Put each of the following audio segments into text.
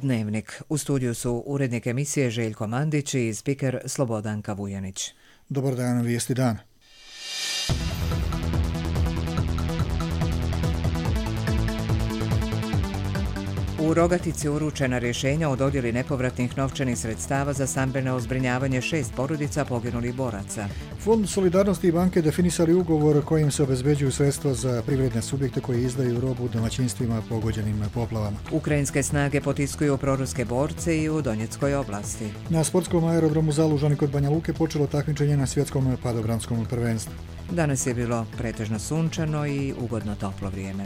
Dnevnik. U studiju su urednik emisije Željko Mandić i spiker Slobodanka Vujanić. Dobar dan, vijesti dan. U Rogatici uručena rješenja o dodjeli nepovratnih novčanih sredstava za stambeno zbrinjavanje 6 porodica poginulih boraca. Fond solidarnosti i banke definisali ugovor kojim se obezbeđuju sredstva za privredne subjekte koji izdaju robu domaćinstvima pogođenim poplavama. Ukrajinske snage potiskuju proruske borce i u Donjeckoj oblasti. Na sportskom aerodromu Zalužani kod Banja Luke počelo takmičenje na svjetskom padobranskom prvenstvu. Danas je bilo pretežno sunčano i ugodno toplo vrijeme.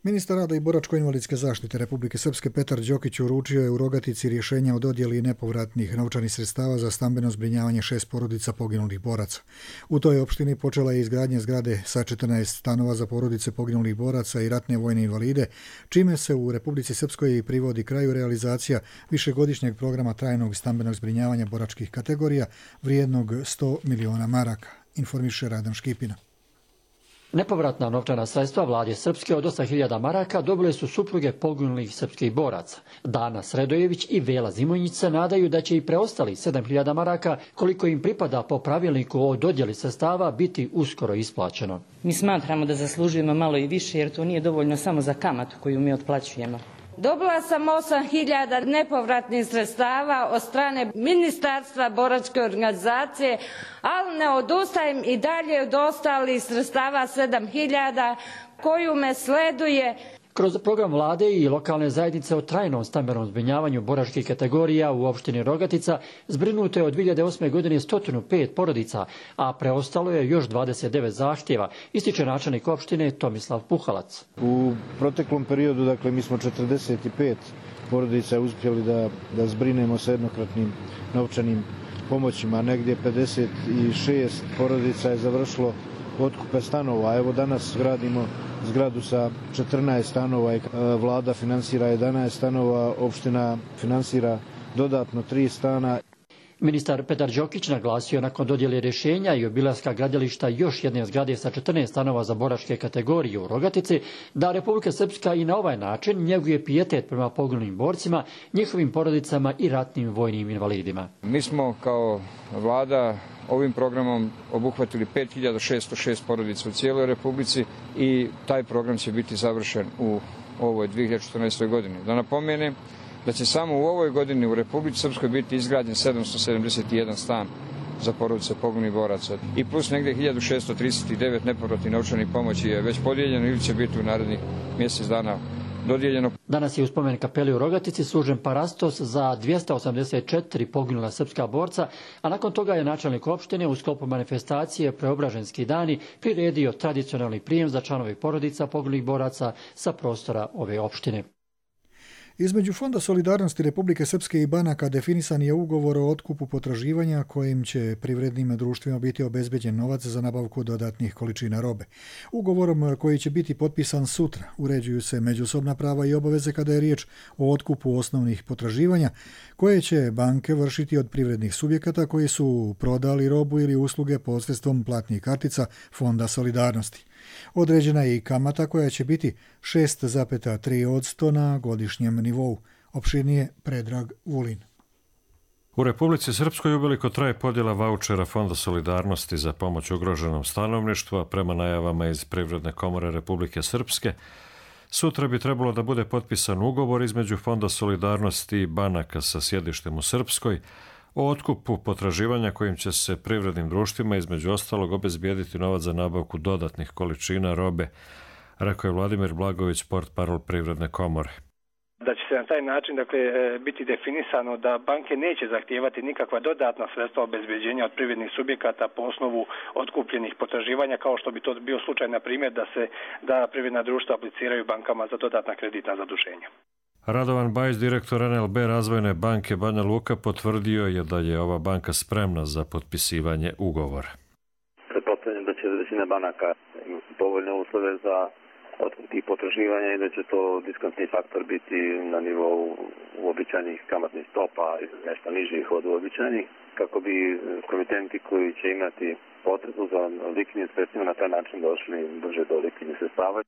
Ministar rada i boračko-invalidske zaštite Republike Srpske Petar Đokić uručio je u Rogatici rješenja o dodjeli nepovratnih novčanih sredstava za stambeno zbrinjavanje 6 porodica poginulih boraca. U toj opštini počela je izgradnja zgrade sa 14 stanova za porodice poginulih boraca i ratne vojne invalide, čime se u Republici Srpskoj privodi kraju realizacija višegodišnjeg programa trajnog stambenog zbrinjavanja boračkih kategorija vrijednog 100 miliona maraka, informiše Radan Škipina. Nepovratna novčana sredstva vlade Srpske od 8.000 maraka dobile su supruge poginulih srpskih boraca. Dana Sredojević i Vela Zimonjić se nadaju da će i preostali 7.000 maraka, koliko im pripada po pravilniku o dodjeli sredstava, biti uskoro isplaćeno. Mi smatramo da zaslužujemo malo i više, jer to nije dovoljno samo za kamatu koju mi otplaćujemo. Dobila sam 8.000 nepovratnih sredstava od strane Ministarstva boračke organizacije, ali ne odustajem i dalje od ostalih sredstava 7.000 koju me sleduje. Kroz program vlade i lokalne zajednice o trajnom stambenom zbrinjavanju boračkih kategorija u opštini Rogatica zbrinuto je od 2008. godine 105 porodica, a preostalo je još 29 zahtjeva, ističe načelnik opštine Tomislav Puhalac. U proteklom periodu, mi smo 45 porodica uspjeli da zbrinemo sa jednokratnim novčanim pomoćima. Negdje 56 porodica je završilo otkupe stanova. Evo danas gradimo zgradu sa 14 stanova i vlada finansira 11 stanova, opština finansira dodatno 3 stana. Ministar Petar Đokić naglasio nakon dodjele rješenja i obilaska gradilišta još jedne zgrade sa 14 stanova za boračke kategorije u Rogatici, da Republika Srpska i na ovaj način njeguje pijetet prema poginulim borcima, njihovim porodicama i ratnim vojnim invalidima. Mi smo kao vlada ovim programom obuhvatili 5.606 porodica u cijeloj Republici i taj program će biti završen u ovoj 2014. godini. Da napomenem da će samo u ovoj godini u Republici Srpskoj biti izgrađen 771 stan za porodice poginulih boraca i plus negdje 1.639 nepovratnih novčanih pomoći je već podijeljeno ili će biti u narednih mjesec dana dodijeljeno. Danas je u spomen kapeli u Rogatici služen parastos za 284 poginula srpska borca, a nakon toga je načelnik opštine u sklopu manifestacije Preobraženski dani priredio tradicionalni prijem za članove porodica poginulih boraca sa prostora ove opštine. Između Fonda solidarnosti Republike Srpske i banaka definisan je ugovor o otkupu potraživanja kojim će privrednim društvima biti obezbeđen novac za nabavku dodatnih količina robe. Ugovorom koji će biti potpisan sutra uređuju se međusobna prava i obaveze kada je riječ o otkupu osnovnih potraživanja koje će banke vršiti od privrednih subjekata koji su prodali robu ili usluge posredstvom platnih kartica Fonda solidarnosti. Određena je i kamata koja će biti 6,3% na godišnjem nivou. Opširnije Predrag Vulin. U Republici Srpskoj uveliko traje podjela vaučera Fonda solidarnosti za pomoć ugroženom stanovništvu, a prema najavama iz Privredne komore Republike Srpske, sutra bi trebalo da bude potpisan ugovor između Fonda solidarnosti i banaka sa sjedištem u Srpskoj o otkupu potraživanja kojim će se privrednim društvima između ostalog obezbijediti novac za nabavku dodatnih količina robe, rekao je Vladimir Blagović, portparol Privredne komore. Da će se na taj način biti definisano da banke neće zahtijevati nikakva dodatna sredstva obezbeđenja od privrednih subjekata po osnovu otkupljenih potraživanja, kao što bi to bio slučaj, na primjer, da privredna društva apliciraju bankama za dodatna kreditna zaduženja. Radovan Bajić, direktor NLB Razvojne banke Banja Luka, potvrdio je da je ova banka spremna za potpisivanje ugovora. Pretpostavljam da će većina banaka imati povoljne uslove za tih potraživanja i da će to diskontni faktor biti na nivou uobičajenih kamatnih stopa, nešto nižih od uobičajenih, kako bi komitenti koji će imati potrebu za likvidnim sredstvima na taj način došli brže do likvidnih sredstava.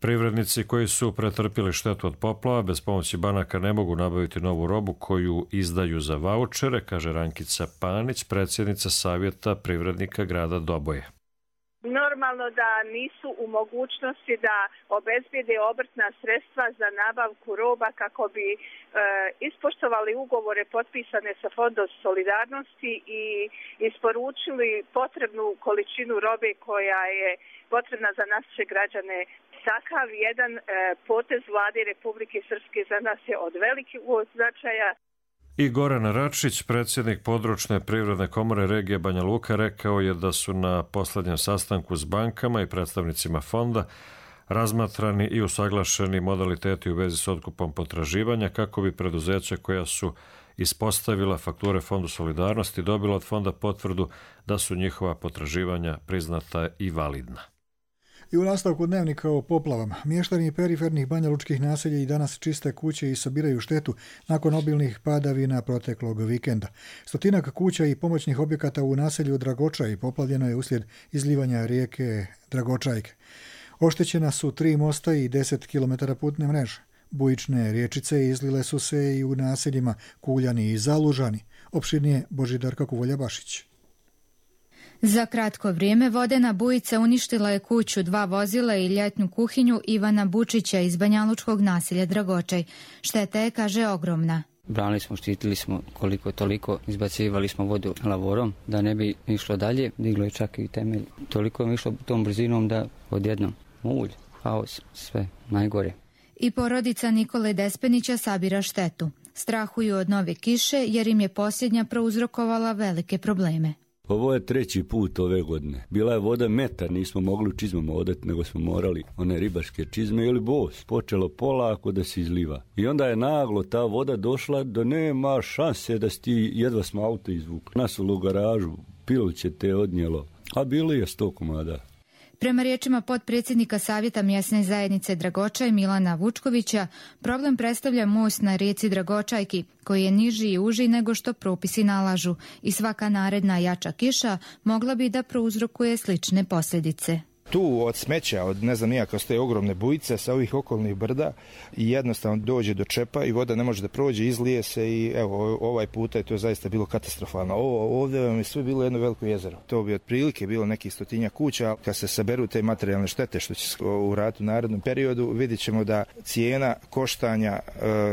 Privrednici koji su pretrpili štetu od poplava bez pomoći banaka ne mogu nabaviti novu robu koju izdaju za vaučere, kaže Rankica Panić, predsjednica Savjeta privrednika grada Doboje. Normalno da nisu u mogućnosti da obezbijede obrtna sredstva za nabavku roba kako bi ispoštovali ugovore potpisane sa Fondom solidarnosti i isporučili potrebnu količinu robe koja je potrebna za naše građane. Takav jedan potez vlade Republike Srpske za nas je od velikog značaja. I Goran Račić, predsjednik područne privredne komore regije Banja Luka, rekao je da su na posljednjem sastanku s bankama i predstavnicima fonda razmatrani i usaglašeni modaliteti u vezi s otkupom potraživanja kako bi preduzeća koja su ispostavila fakture Fondu solidarnosti dobila od fonda potvrdu da su njihova potraživanja priznata i validna. I u nastavku dnevnika o poplavama, mještani perifernih banjalučkih naselja i danas čiste kuće i sabiraju štetu nakon obilnih padavina proteklog vikenda. Stotinak kuća i pomoćnih objekata u naselju Dragočaj poplavljeno je uslijed izlivanja rijeke Dragočajke. Oštećena su 3 mosta i 10 km putne mreže. Bujične riječice izlile su se i u naseljima Kuljani i Zalužani. Opširnije Božidarka Kuvolja-Bašić. Za kratko vrijeme vodena bujica uništila je kuću, 2 vozila i ljetnu kuhinju Ivana Bučića iz banjalučkog naselja Dragočaj. Šteta je, kaže, ogromna. Branili smo, štitili smo koliko toliko, izbacivali smo vodu lavorom da ne bi išlo dalje, diglo je čak i temelj. Toliko je išlo tom brzinom da odjednom mulj, haos, sve najgore. I porodica Nikole Despenića sabira štetu. Strahuju od nove kiše jer im je posljednja prouzrokovala velike probleme. Ovo je 3. put ove godine. Bila je voda metar, nismo mogli u čizmama odati, nego smo morali one ribarske čizme ili bos. Počelo polako da se izliva. I onda je naglo ta voda došla da nema šanse da ti jedva smo auto izvukli. Nas u garažu, pilće te odnijelo, a bili je 100 komada. Prema riječima potpredsjednika Savjeta mjesne zajednice Dragočaj Milana Vučkovića, problem predstavlja most na rijeci Dragočajki, koji je niži i uži nego što propisi nalažu i svaka naredna jača kiša mogla bi da prouzrokuje slične posljedice. Tu od smeća, od ne znam nijako stoje ogromne bujice sa ovih okolnih brda i jednostavno dođe do čepa i voda ne može da prođe, izlije se i evo ovaj puta je to zaista bilo katastrofalno. Ovdje vam je sve bilo jedno veliko jezero. To bi otprilike bilo nekih 100 kuća. Kad se saberu te materijalne štete što će se uraditi u narednom periodu, vidjet ćemo da cijena koštanja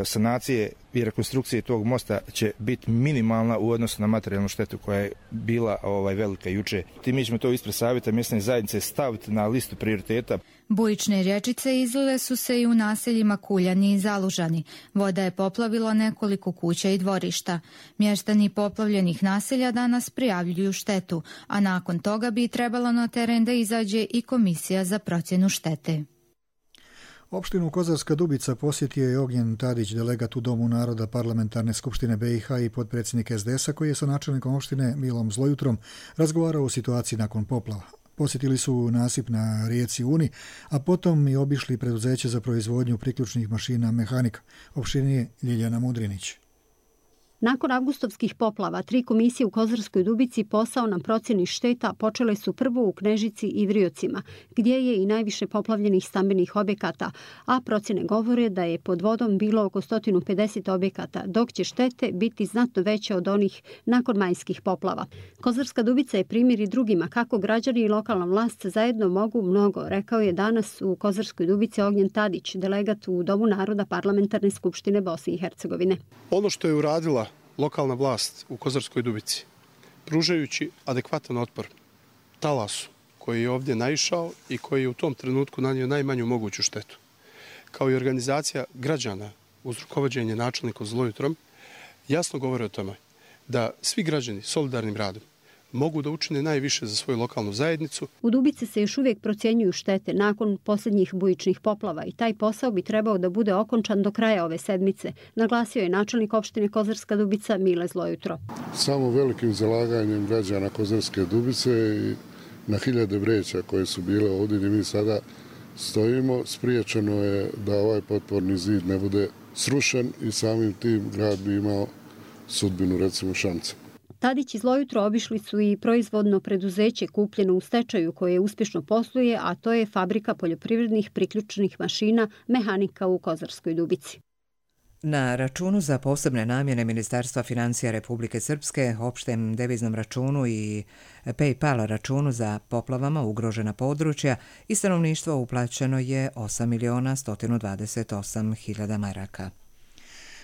sanacije i rekonstrukcije tog mosta će biti minimalna u odnosu na materijalnu štetu koja je bila velika juče. Mi ćemo to ispred Savjeta mjesne zajednice staviti na listu prioriteta. Bujične riječice izlile su se i u naseljima Kuljani i Zalužani. Voda je poplavila nekoliko kuća i dvorišta. Mještani poplavljenih naselja danas prijavljuju štetu, a nakon toga bi trebalo na teren da izađe i komisija za procjenu štete. Opštinu Kozarska Dubica posjetio je Ognjen Tadić, delegat u Domu naroda Parlamentarne skupštine BiH i potpredsjednik SDS-a, koji je sa načelnikom opštine Milom Zlojutrom razgovarao o situaciji nakon poplava. Posjetili su nasip na rijeci Uni, a potom i obišli preduzeće za proizvodnju priključnih mašina Mehanika. Opštinije Ljiljana Mudrinić. Nakon avgustovskih poplava, 3 komisije u Kozarskoj Dubici posao na procjeni šteta počele su prvo u Knežici i Vriocima, gdje je i najviše poplavljenih stambenih objekata, a procjene govore da je pod vodom bilo oko 150 objekata, dok će štete biti znatno veće od onih nakon majskih poplava. Kozarska Dubica je primjer i drugima kako građani i lokalna vlast zajedno mogu mnogo, rekao je danas u Kozarskoj Dubici Ognjen Tadić, delegat u Domu naroda Parlamentarne skupštine Bosne i Hercegovine. Ono što je uradila lokalna vlast u Kozarskoj Dubici, pružajući adekvatan otpor talasu koji je ovdje naišao i koji je u tom trenutku nanio najmanju moguću štetu, kao i organizacija građana uz rukovođenje načelnikom Zlojutrom, jasno govore o tome da svi građani solidarnim radom mogu da učine najviše za svoju lokalnu zajednicu. U Dubici se još uvijek procjenjuju štete nakon posljednjih bujičnih poplava i taj posao bi trebao da bude okončan do kraja ove sedmice, naglasio je načelnik opštine Kozarska Dubica Mile Zlojutro. Samo velikim zalaganjem građana Kozarske Dubice i na hiljade vreća koje su bile ovdje, mi sada stojimo. Spriječeno je da ovaj potporni zid ne bude srušen i samim tim grad bi imao sudbinu, recimo, Šamca. Tadić iz Lojutro obišli su i proizvodno preduzeće kupljeno u stečaju koje uspješno posluje, a to je fabrika poljoprivrednih priključenih mašina Mehanika u Kozarskoj Dubici. Na računu za posebne namjene Ministarstva financija Republike Srpske, opštem deviznom računu i PayPal računu za poplavama ugrožena područja i stanovništvo uplaćeno je 8.128.000 maraka.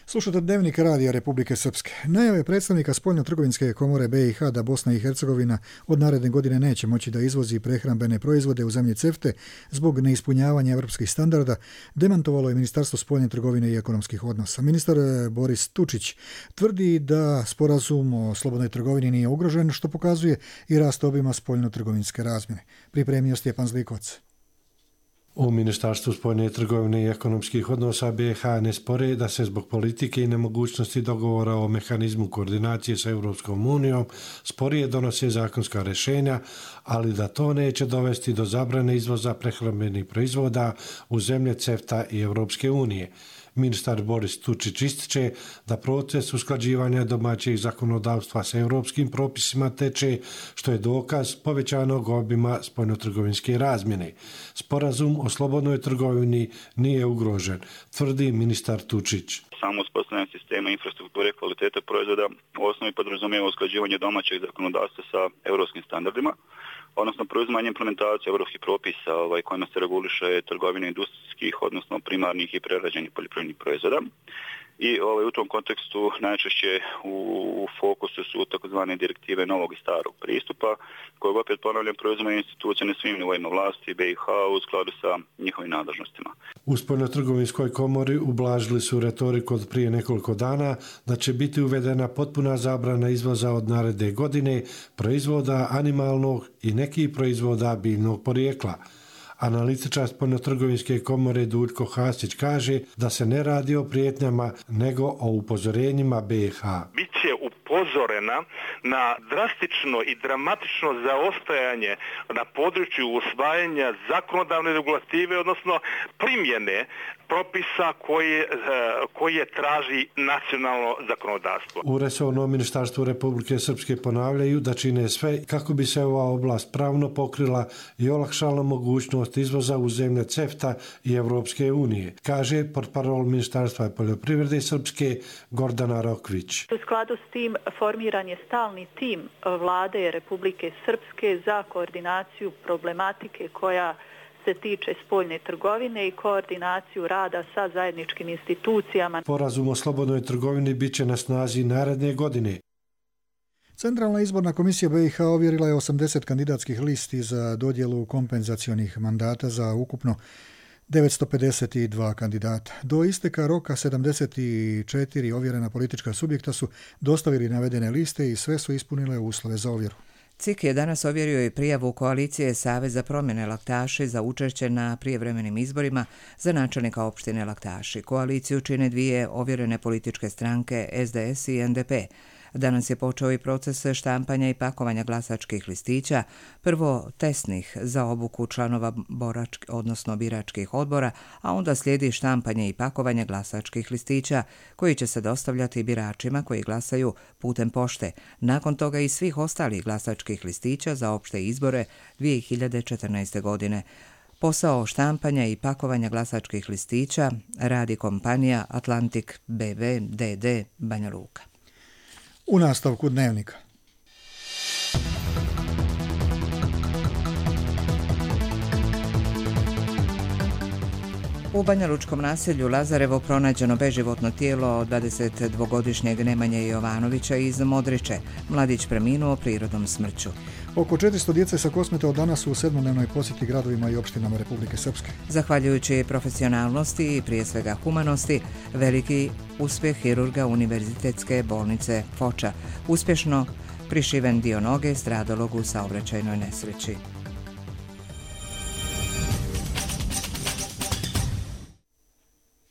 Slušate Dnevnik radija Republike Srpske. Najave predstavnika Spoljno-trgovinske komore BiH da Bosna i Hercegovina od naredne godine neće moći da izvozi prehrambene proizvode u zemlje CEFTA zbog neispunjavanja evropskih standarda demantovalo je Ministarstvo spoljne trgovine i ekonomskih odnosa. Ministar Boris Tučić tvrdi da sporazum o slobodnoj trgovini nije ugrožen, što pokazuje i rast obima spoljno-trgovinske razmjene. Pripremio Stjepan Zlikovac. U Ministarstvu spoljne trgovine i ekonomskih odnosa BiH ne spore da se zbog politike i nemogućnosti dogovora o mehanizmu koordinacije sa Europskom unijom sporije donose zakonska rješenja, ali da to neće dovesti do zabrane izvoza prehrambenih proizvoda u zemlje CEFTA i Europske unije. Ministar Boris Tučić ističe da proces usklađivanja domaćeg zakonodavstva sa europskim propisima teče, što je dokaz povećanog obima spoljnotrgovinske razmjene. Sporazum o slobodnoj trgovini nije ugrožen, tvrdi ministar Tučić. Samo uspostavljanje sistema infrastrukture kvalitete proizvoda u osnovi podrazumijeva usklađivanje domaćeg zakonodavstva sa europskim standardima, odnosno preuzimanje implementacije europskih propisa kojima se reguliše trgovina industrijskih, odnosno primarnih i prerađenih poljoprivrednih proizvoda. I u tom kontekstu najčešće u fokusu su takozvane direktive novog i starog pristupa, kojeg opet ponavljam preuzimaju institucije na svim nivoima vlasti BiH u skladu sa njihovim nadležnostima. U Spoljnotrgovinskoj komori ublažili su retoriku od prije nekoliko dana da će biti uvedena potpuna zabrana izvoza od naredne godine proizvoda animalnog i nekih proizvoda biljnog porijekla. Analitičar Spoljnotrgovinske komore Duljko Hasić kaže da se ne radi o prijetnjama nego o upozorenjima BiH. Biće upozorena na drastično i dramatično zaostajanje na području usvajanja zakonodavne regulative, odnosno primjene propisa koje traži nacionalno zakonodavstvo. U resornom ministarstvu Republike Srpske ponavljaju da čine sve kako bi se ova oblast pravno pokrila i olakšala mogućnost izvoza u zemlje CEFTA i Europske unije, kaže portparol Ministarstva poljoprivrede Srpske Gordana Rokvić. U skladu s tim formiran je stalni tim vlade Republike Srpske za koordinaciju problematike koja se tiče spoljne trgovine i koordinaciju rada sa zajedničkim institucijama. Sporazum o slobodnoj trgovini bit će na snazi naredne godine. Centralna izborna komisija BiH ovjerila je 80 kandidatskih listi za dodjelu kompenzacionih mandata za ukupno 952 kandidata. Do isteka roka 74 ovjerena politička subjekta su dostavili navedene liste i sve su ispunile uslove za ovjeru. CIK je danas ovjerio i prijavu koalicije Savez za promjene Laktaši za učešće na prijevremenim izborima za načelnika opštine Laktaši. Koaliciju čine dvije ovjerene političke stranke SDS i NDP. Danas je počeo i proces štampanja i pakovanja glasačkih listića, prvo testnih za obuku članova biračkih odbora, a onda slijedi štampanje i pakovanje glasačkih listića koji će se dostavljati biračima koji glasaju putem pošte. Nakon toga i svih ostalih glasačkih listića za opšte izbore 2014. godine. Posao štampanja i pakovanja glasačkih listića radi kompanija Atlantic BV DD Banja Luka. U nastavku Dnevnika. U banjalučkom naselju Lazarevo pronađeno beživotno tijelo od 22-godišnjeg Nemanje Jovanovića iz Modriče. Mladić preminuo prirodnom smrću. Oko 400 djece sa Kosmeta od danas su u 7-dnevnoj posjeti gradovima i opštinama Republike Srpske. Zahvaljujući profesionalnosti i prije svega humanosti, veliki uspjeh hirurga Univerzitetske bolnice Foča. Uspješno prišiven dio noge stradalog u saobraćajnoj nesreći.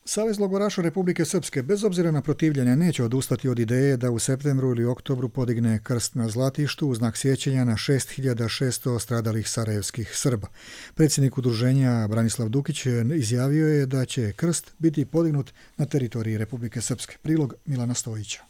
Savez logoraša Republike Srpske bez obzira na protivljenje neće odustati od ideje da u septembru ili oktobru podigne krst na Zlatištu u znak sjećanja na 6600 stradalih sarajevskih Srba. Predsjednik udruženja Branislav Dukić izjavio je da će krst biti podignut na teritoriji Republike Srpske. Prilog Milana Stojića.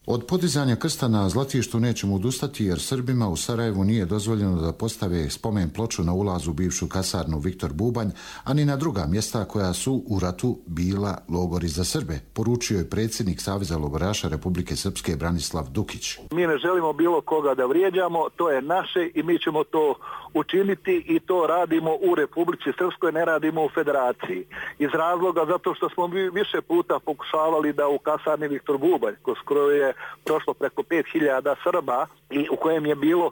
Od podizanja krsta na Zlatištu nećemo odustati jer Srbima u Sarajevu nije dozvoljeno da postave spomen ploču na ulazu u bivšu kasarnu Viktor Bubanj, a ni na druga mjesta koja su u ratu bila logori za Srbe, poručio je predsjednik Saveza logoraša Republike Srpske Branislav Dukić. Mi ne želimo bilo koga da vrijeđamo, to je naše i mi ćemo to učiniti i to radimo u Republici Srpskoj, ne radimo u Federaciji. Iz razloga zato što smo više puta pokušavali da u kasarni Viktor Bubanj, kroz je prošlo preko 5000 Srba i u kojem je bilo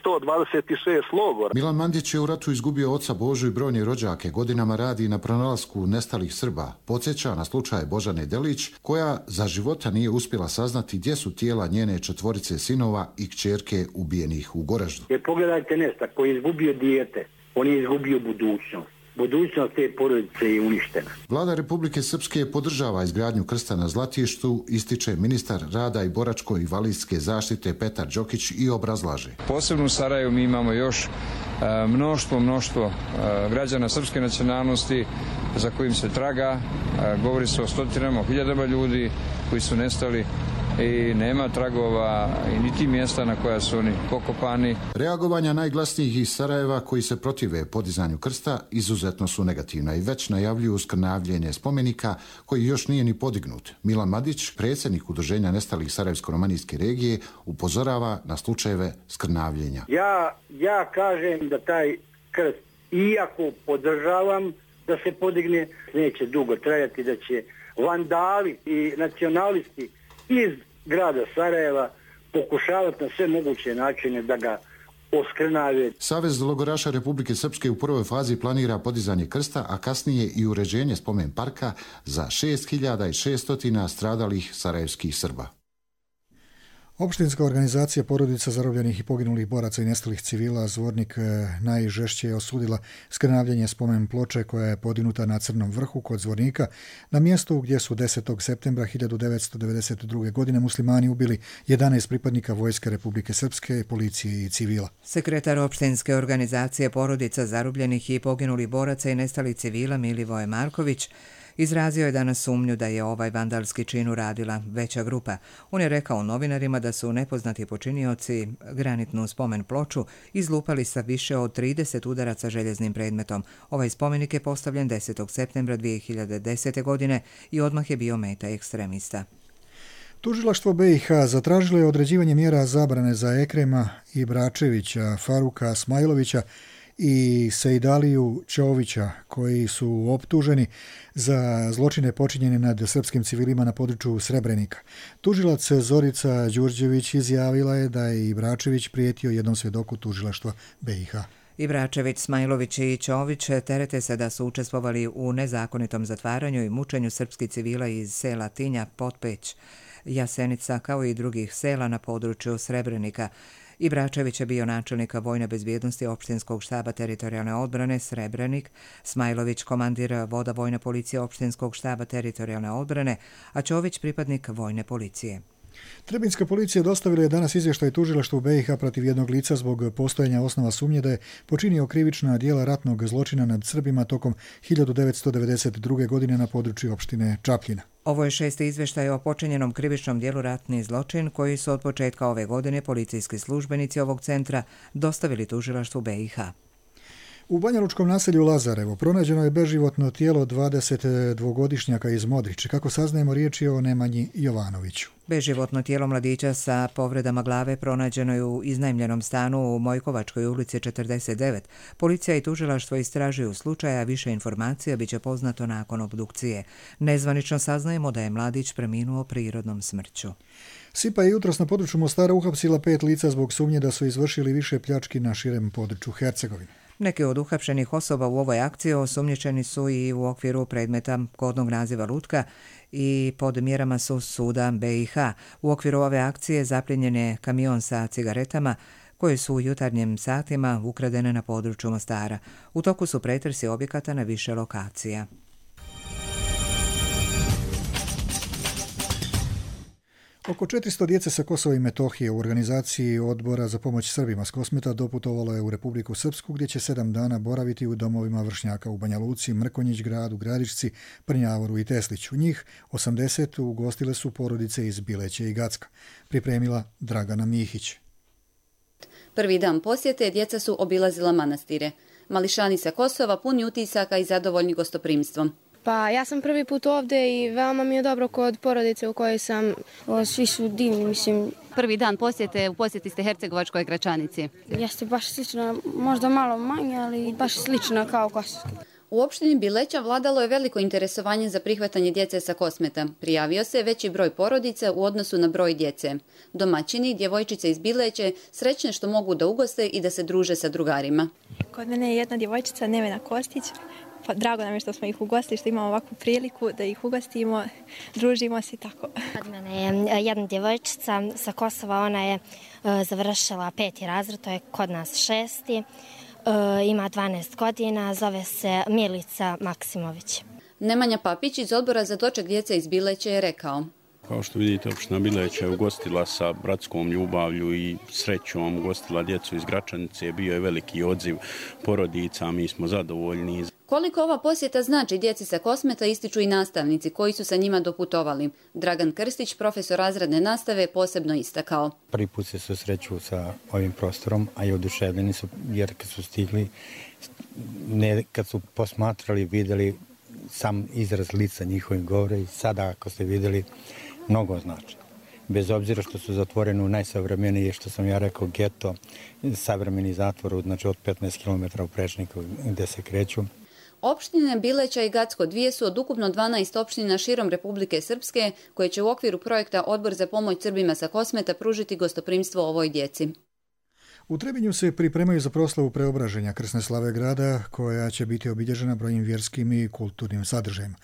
126 logora. Milan Mandić je u ratu izgubio oca Božu i brojne rođake, godinama radi na pronalasku nestalih Srba. Podsjeća na slučaj Božane Delić, koja za života nije uspjela saznati gdje su tijela njene 4 sinova i kćerke ubijenih u Goraždu. Jer pogledajte Nesta koji je izgubio dijete, on je izgubio budućnost. Budućnost te porodice je uništena. Vlada Republike Srpske podržava izgradnju krsta na Zlatištu, ističe ministar rada i boračko-invalidske zaštite Petar Đokić i obrazlaže. Posebno u Sarajevu mi imamo još mnoštvo građana srpske nacionalnosti za kojim se traga. Govori se o stotinama, hiljadama ljudi koji su nestali i nema tragova i niti mjesta na koja su oni pokopani. Reagovanja najglasnijih iz Sarajeva koji se protive podizanju krsta izuzetno su negativna i već najavljuju skrnavljenje spomenika koji još nije ni podignut. Milan Madić, predsjednik udruženja nestalih Sarajevsko-romanijske regije, upozorava na slučajeve skrnavljenja. Ja kažem da taj krst, iako podržavam da se podigne, neće dugo trajati, da će vandali i nacionalisti iz grada Sarajeva pokušavati na sve moguće načine da ga oskrnave. Savez logoraša Republike Srpske u prvoj fazi planira podizanje krsta, a kasnije i uređenje spomen parka za 6600 stradalih sarajevskih Srba. Opštinska organizacija porodica zarobljenih i poginulih boraca i nestalih civila Zvornik najžešće je osudila skrnavljenje spomen ploče koja je podignuta na Crnom vrhu kod Zvornika, na mjestu gdje su 10. septembra 1992. godine muslimani ubili 11 pripadnika Vojske Republike Srpske, policije i civila. Sekretar opštinske organizacije porodica zarobljenih i poginulih boraca i nestalih civila Milivoje Marković izrazio je danas sumnju da je ovaj vandalski čin uradila veća grupa. On je rekao novinarima da su nepoznati počinioci granitnu spomen ploču izlupali sa više od 30 udaraca željeznim predmetom. Ovaj spomenik je postavljen 10. septembra 2010. godine i odmah je bio meta ekstremista. Tužilaštvo BiH zatražilo je određivanje mjera zabrane za Ekrema Ibračevića, Faruka Smajlovića i Sejdaliju Čovića, koji su optuženi za zločine počinjene nad srpskim civilima na području Srebrenika. Tužilac Zorica Đurđević izjavila je da je Ibračević prijetio jednom svjedoku tužilaštva BiH. Ibračević, Smajlović i Čović terete se da su učestvovali u nezakonitom zatvaranju i mučenju srpskih civila iz sela Tinja, Potpeć, Jasenica, kao i drugih sela na području Srebrenika. Ibračević je bio načelnik vojne bezbjednosti opštinskog štaba teritorijalne odbrane Srebrenik, Smajlović komandir voda vojne policije opštinskog štaba teritorijalne odbrane, a Čović pripadnik vojne policije. Trebinska policija dostavila je danas izvještaj tužilaštvu BiH protiv jednog lica zbog postojanja osnova sumnje da je počinio krivična djela ratnog zločina nad Srbima tokom 1992. godine na području opštine Čapljina. Ovo je 6. izvještaj o počinjenom krivičnom djelu ratni zločin koji su od početka ove godine policijski službenici ovog centra dostavili tužilaštvu BiH. U banjalučkom naselju Lazarevo pronađeno je beživotno tijelo 22-godišnjaka iz Modriče. Kako saznajemo, riječ je o Nemanji Jovanoviću. Beživotno tijelo mladića sa povredama glave pronađeno je u iznajmljenom stanu u Mojkovačkoj ulici 49. Policija i tužilaštvo istražuju slučaja, više informacija biće poznato nakon obdukcije. Nezvanično saznajemo da je mladić preminuo prirodnom smrću. SIPA je jutros na području Mostara uhapsila 5 lica zbog sumnje da su izvršili više pljački na širem području Hercegovine. Neki od uhapšenih osoba u ovoj akciji osumnjičeni su i u okviru predmeta kodnog naziva Lutka i pod mjerama su suda BiH. U okviru ove akcije zapljenjen je kamion sa cigaretama koje su u jutarnjim satima ukradene na području Mostara. U toku su pretresi objekata na više lokacija. Oko 400 djece sa Kosova i Metohije u organizaciji Odbora za pomoć Srbima s Kosmeta doputovalo je u Republiku Srpsku, gdje će 7 dana boraviti u domovima vršnjaka u Banja Luci, Mrkonjić gradu, Gradišci, Prnjavoru i Tesliću. Njih 80 ugostile su porodice iz Bileće i Gacka. Pripremila Dragana Mihić. Prvi dan posjete djeca su obilazila manastire. Mališani sa Kosova puni utisaka i zadovoljni gostoprimstvom. Pa ja sam prvi put ovdje i veoma mi je dobro kod porodice u kojoj sam. Svi su divni, mislim. Prvi dan posjete, u posjeti ste Hercegovačkoj Gračanici. Jeste baš slično, možda malo manje, ali baš slično kao Kosovo. U opštini Bileća vladalo je veliko interesovanje za prihvatanje djece sa Kosmeta. Prijavio se veći broj porodica u odnosu na broj djece. Domaćini, djevojčice iz Bileće, srećne što mogu da ugoste i da se druže sa drugarima. Kod mene je jedna djevojčica, Nevena Kostić. Pa drago nam je što smo ih ugostili, što imamo ovakvu priliku da ih ugostimo, družimo se i tako. Kod mene je jedna djevojčica sa Kosova, ona je završila 5. razred, to je kod nas 6. Ima 12 godina, zove se Milica Maksimović. Nemanja Papić iz Odbora za doček djece iz Bileće je rekao: Kao što vidite, opština Bileća je ugostila sa bratskom ljubavlju i srećom, ugostila djecu iz Gračanice, bio je veliki odziv porodica, mi smo zadovoljni. Koliko ova posjeta znači djeci sa Kosmeta ističu i nastavnici koji su sa njima doputovali. Dragan Krstić, profesor razredne nastave, posebno istakao. Prvi put se susreću sa ovim prostorom, a i oduševljeni su, jer kad su stigli, kad su posmatrali, vidjeli sam izraz lica njihovih govora i sada ako ste vidjeli, mnogo znači. Bez obzira što su zatvoreni u najsavremenije, što sam ja rekao, geto, savremeni zatvor, znači od 15 km u prečniku gdje se kreću. Opštine Bileća i Gacko dvije su od ukupno 12 opština širom Republike Srpske koje će u okviru projekta Odbor za pomoć Srbima sa Kosmeta pružiti gostoprimstvo ovoj djeci. U Trebinju se pripremaju za proslavu preobraženja krsne slave grada, koja će biti obilježena brojnim vjerskim i kulturnim sadržajima.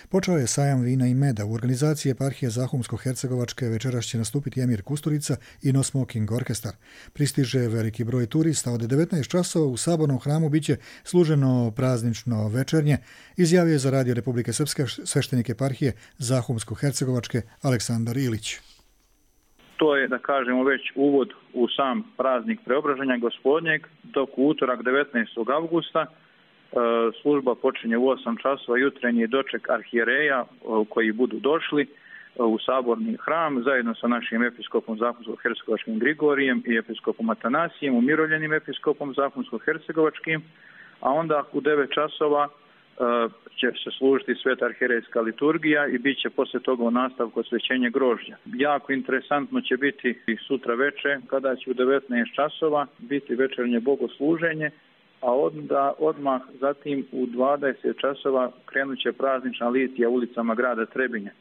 Počeo je sajam vina i meda. U organizaciji eparhije Zahumsko-Hercegovačke večeras će nastupiti Emir Kusturica i No Smoking Orkestar. Pristiže veliki broj turista. Od 19 časova u Sabornom hramu biće služeno praznično večernje, izjavio je za Radio Republike Srpske sveštenik eparhije Zahumsko-Hercegovačke Aleksandar Ilić. To je, da kažemo, već uvod u sam praznik preobraženja Gospodnjeg, dok u utorak 19. avgusta služba počinje u 8 časova, jutrenji doček arhijereja koji budu došli u Saborni hram zajedno sa našim episkopom Zahumsko-Hercegovačkim Grigorijem i episkopom Atanasijem, umirovljenim episkopom Zahumsko-Hercegovačkim, a onda u 9 časova će se služiti sveta arhijerejska liturgija i bit će poslije toga u nastavku osvećenje grožđa. Jako interesantno će biti i sutra veče, kada će u 19 časova biti večernje bogosluženje, a onda odmah zatim u 20 časova krenut će praznična litija ulicama grada Trebinja.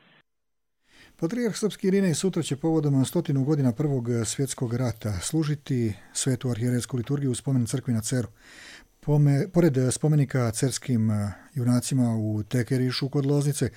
Patrijarh srpski Irinej sutra će povodom 100 godina Prvog svjetskog rata služiti svetu arhijerejsku liturgiju u spomen crkvi na Ceru. Pored spomenika cerskim junacima u Tekerišu kod Loznice,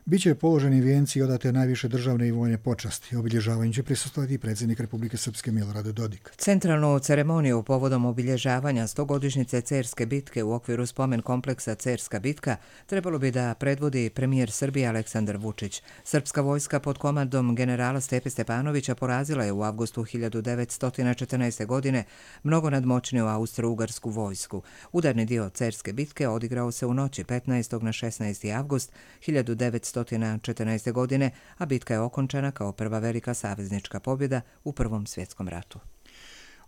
bit će položeni vijenci i odate najviše državne i vojne počasti. Obilježavanju će prisustvovati i predsjednik Republike Srpske Milorad Dodik. Centralnu ceremoniju povodom obilježavanja 100-godišnjice Cerske bitke u okviru spomen kompleksa Cerska bitka trebalo bi da predvodi premijer Srbije Aleksandar Vučić. Srpska vojska pod komandom generala Stepe Stepanovića porazila je u avgustu 1914. godine mnogo nadmoćniju austro-ugarsku vojsku. Udarni dio Cerske bitke odigrao se u noći 15. na 16. avgust 1914. godine, a bitka je okončana kao prva velika saveznička pobjeda u Prvom svjetskom ratu.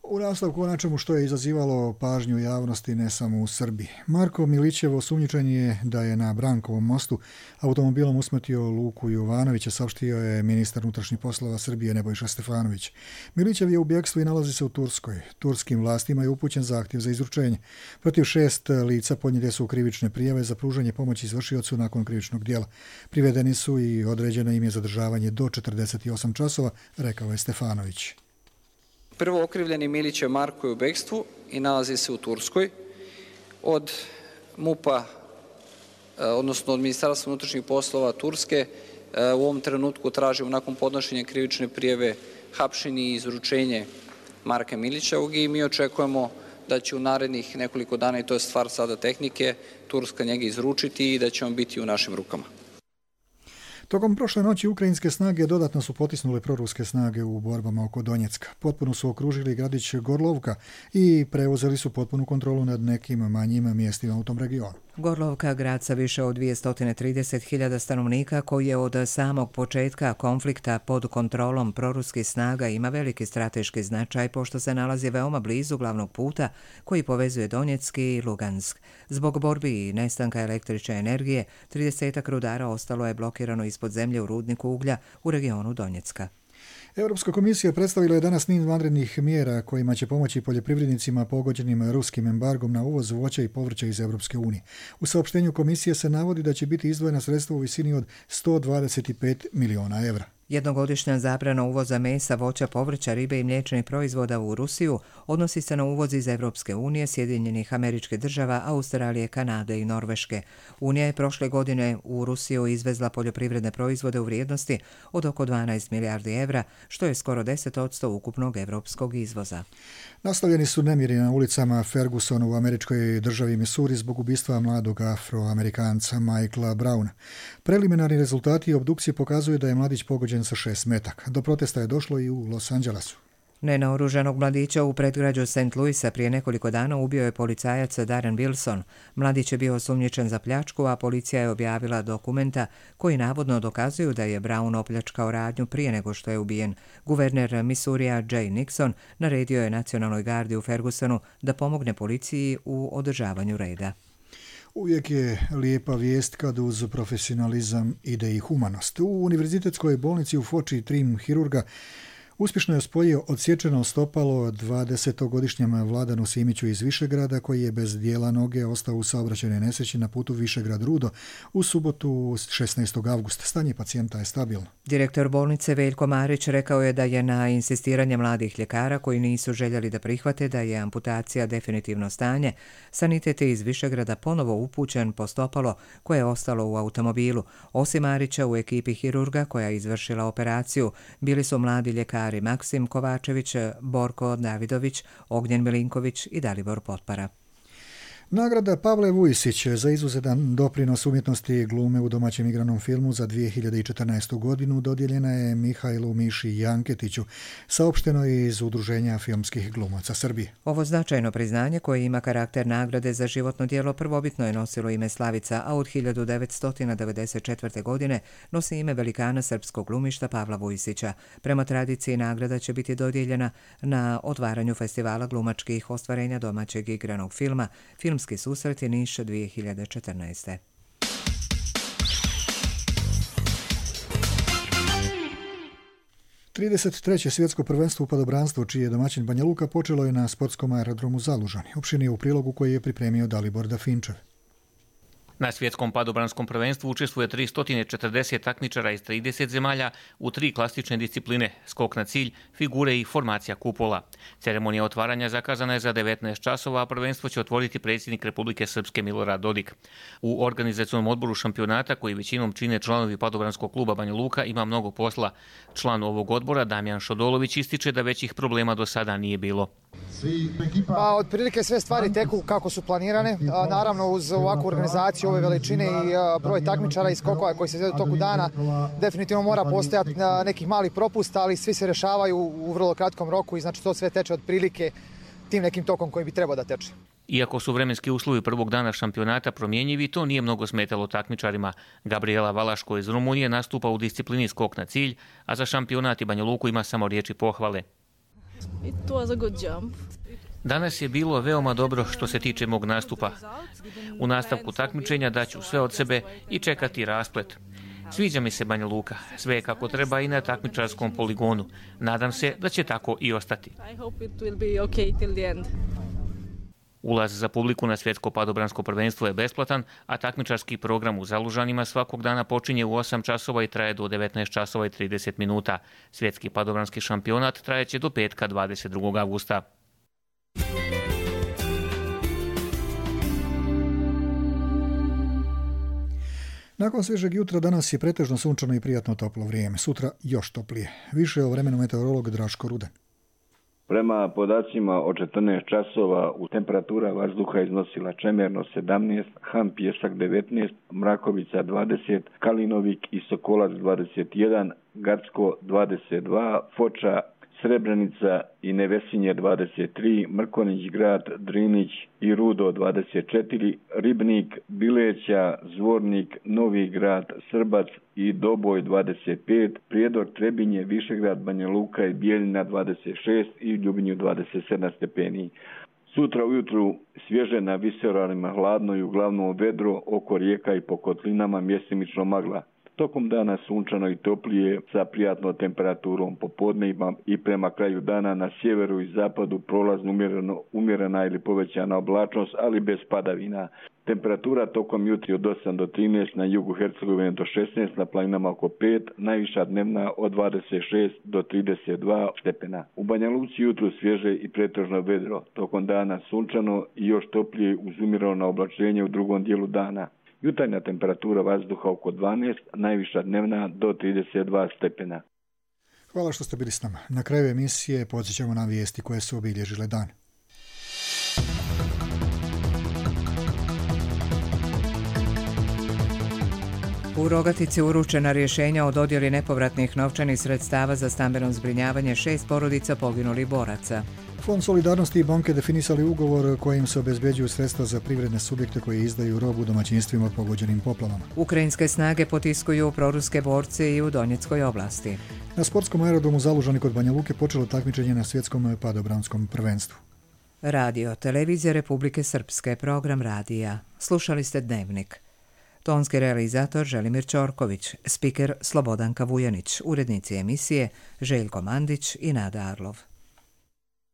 U nastavku o nečemu što je izazivalo pažnju javnosti ne samo u Srbiji. Marko Milićev osumnjičen je da je na Brankovom mostu automobilom usmrtio Luku Jovanovića, saopštio je ministar unutrašnjih poslova Srbije Nebojša Stefanović. Milićev je u bjegstvu i nalazi se u Turskoj. Turskim vlastima je upućen zahtjev za izručenje. Protiv 6 lica podnijete su krivične prijave za pružanje pomoći izvršiocu nakon krivičnog djela. Privedeni su i određeno im je zadržavanje do 48 časova, rekao je Stefanović. Prvo okrivljeni Milićev Marko je u bekstvu i nalazi se u Turskoj. Od MUP-a, odnosno od Ministarstva unutrašnjih poslova Turske, u ovom trenutku tražimo nakon podnošenja krivične prijave hapšenje i izručenje Marka Milićevog i mi očekujemo da će u narednih nekoliko dana, i to je stvar sada tehnike, Turska njega izručiti i da će on biti u našim rukama. Tokom prošle noći ukrajinske snage dodatno su potisnule proruske snage u borbama oko Donjecka. Potpuno su okružili gradić Gorlovka i preuzeli su potpunu kontrolu nad nekim manjim mjestima u tom regionu. Gorlovka, grad sa više od 230.000 stanovnika koji je od samog početka konflikta pod kontrolom proruskih snaga, ima veliki strateški značaj pošto se nalazi veoma blizu glavnog puta koji povezuje Donjeck i Lugansk. Zbog borbi i nestanka električne energije, 30 rudara ostalo je blokirano ispod zemlje u rudniku uglja u regionu Donjecka. Europska komisija predstavila je danas niz vanrednih mjera kojima će pomoći poljoprivrednicima pogođenim ruskim embargom na uvoz voća i povrća iz Europske unije. U saopštenju komisije se navodi da će biti izdvojena sredstva u visini od 125 milijuna evra. Jednogodišnja zabrana uvoza mesa, voća, povrća, ribe i mliječnih proizvoda u Rusiju odnosi se na uvoz iz Evropske unije, Sjedinjenih Američkih Država, Australije, Kanade i Norveške. Unija je prošle godine u Rusiju izvezla poljoprivredne proizvode u vrijednosti od oko 12 milijardi evra, što je skoro 10% ukupnog evropskog izvoza. Nastavljeni su nemiri na ulicama Fergusona u američkoj državi Missouri zbog ubistva mladog Afroamerikanca Michaela Browna. Preliminarni rezultati obdukcije pokazuju da je mladić pogođen sa 6 metaka. Do protesta je došlo i u Los Angelesu. Nenaoružanog mladića u predgrađu St. Louisa prije nekoliko dana ubio je policajac Darren Wilson. Mladić je bio osumnjičen za pljačku, a policija je objavila dokumenta koji navodno dokazuju da je Brown opljačkao radnju prije nego što je ubijen. Guverner Missourija Jay Nixon naredio je Nacionalnoj gardi u Fergusonu da pomogne policiji u održavanju reda. Uvijek je lijepa vijest kad uz profesionalizam ide i humanost. U univerzitetskoj bolnici u Foči tim hirurga uspješno je spojio odsječeno stopalo 20-godišnjem Vladanu Simiću iz Višegrada koji je bez dijela noge ostao u saobraćajnoj nesreći na putu Višegrad-Rudo u subotu 16. avgusta. Stanje pacijenta je stabilno. Direktor bolnice Veljko Marić rekao je da je na insistiranje mladih ljekara koji nisu željeli da prihvate da je amputacija definitivno stanje, sanitet iz Višegrada ponovo upućen po stopalo koje je ostalo u automobilu. Osim Marića u ekipi hirurga koja je izvršila operaciju bili su mladi ljekari Maksim Kovačević, Borko Davidović, Ognjen Milinković i Dalibor Potpara. Nagrada Pavle Vujsić za izuzetan doprinos umjetnosti glume u domaćem igranom filmu za 2014. godinu dodijeljena je Mihajlu Miši Janketiću, saopšteno je iz Udruženja filmskih glumaca Srbije. Ovo značajno priznanje koje ima karakter nagrade za životno djelo prvobitno je nosilo ime Slavica, a od 1994. godine nosi ime velikana srpskog glumišta Pavla Vujsića. Prema tradiciji nagrada će biti dodijeljena na otvaranju festivala glumačkih ostvarenja domaćeg igranog filma Filmski susreti Niš 2014. Trideset svjetsko prvenstvo u padobranstvu, čiji je domaćin Banja Luka, počelo je na sportskom aerodromu Zalužani. Opširnije u prilogu koji je pripremio Dalibor Dafinčev. Na svjetskom padobranskom prvenstvu učestvuje 340 takmičara iz 30 zemalja u 3 klasične discipline: skok na cilj, figure i formacija kupola. Ceremonija otvaranja zakazana je za 19 časova, a prvenstvo će otvoriti predsjednik Republike Srpske Milorad Dodik. U organizacionom odboru šampionata, koji većinom čine članovi padobranskog kluba Banja Luka, ima mnogo posla. Član ovog odbora, Damjan Šodolović, ističe da većih problema do sada nije bilo. Pa, otprilike sve stvari teku kako su planirane. Naravno, uz ovakvu organizaciju ove veličine i broj takmičara i skokova koji se izvedu u toku dana, definitivno mora postojati nekih malih propusta, ali svi se rešavaju u vrlo kratkom roku i znači to sve teče otprilike tim nekim tokom koji bi trebao da teče. Iako su vremenski uslovi prvog dana šampionata promjenjivi, to nije mnogo smetalo takmičarima. Gabriela Valaško iz Rumunije nastupa u disciplini skok na cilj, a za šampionat i Banja Luku ima samo riječi pohvale. It was a good jump. Danas je bilo veoma dobro što se tiče mog nastupa. U nastavku takmičenja daću sve od sebe i čekati rasplet. Sviđa mi se Banja Luka, sve je kako treba i na takmičarskom poligonu. Nadam se da će tako i ostati. Ulaz za publiku na svjetsko padobransko prvenstvo je besplatan, a takmičarski program u Zalužanima svakog dana počinje u 8 časova i traje do 19 časova i 30 minuta. Svjetski padobranski šampionat trajeće do petka 22. avgusta. Nakon svježeg jutra danas je pretežno sunčano i prijatno toplo vrijeme. Sutra još toplije. Više o vremenu meteorolog Draško Rudan. Prema podacima od 14 časova temperatura vazduha iznosila Čemerno 17, Han Pjesak 19, Mrakovica 20, Kalinovik i Sokolac 21, Gacko 22, Foča, Srebrenica i Nevesinje 23, Mrkonić grad, Drinić i Rudo 24, Ribnik, Bileća, Zvornik, Novi grad, Srbac i Doboj 25, Prijedor, Trebinje, Višegrad, Banja Luka i Bijeljina 26 i Ljubinju 27 stepeni. Sutra ujutru svježe na visoravnima, hladno i uglavnom vedro, oko rijeka i po kotlinama mjestimično magla. Tokom dana sunčano i toplije sa prijatnom temperaturom popodne i prema kraju dana na sjeveru i zapadu prolazno umjerena ili povećana oblačnost, ali bez padavina. Temperatura tokom jutri od 8 do 13, na jugu Hercegovine do 16, na planinama oko 5, najviša dnevna od 26 do 32 stepena. U Banja Luci jutro svježe i pretežno vedro, tokom dana sunčano i još toplije uz umjereno oblačenje u drugom dijelu dana. Jutarnja temperatura vazduha oko 12, najviša dnevna do 32 stepena. Hvala što ste bili s nama. Na kraju emisije podsjećamo na vijesti koje su obilježile dan. U Rogatici uručena rješenja o dodjeli nepovratnih novčanih sredstava za stambeno zbrinjavanje 6 porodica poginulih boraca. Fond solidarnosti i banke definisali ugovor kojim se obezbeđuju sredstva za privredne subjekte koji izdaju robu domaćinstvima pogođenim poplavama. Ukrajinske snage potiskuju proruske borce i u Donjeckoj oblasti. Na sportskom aerodromu Zalužani kod Banja Luke počelo takmičenje na svjetskom padobranskom prvenstvu. Radio, televizija Republike Srpske, program radija. Slušali ste Dnevnik. Tonski realizator Želimir Ćorković, spiker Slobodanka Vujanić, urednici emisije Željko Mandić i Nada Arlov.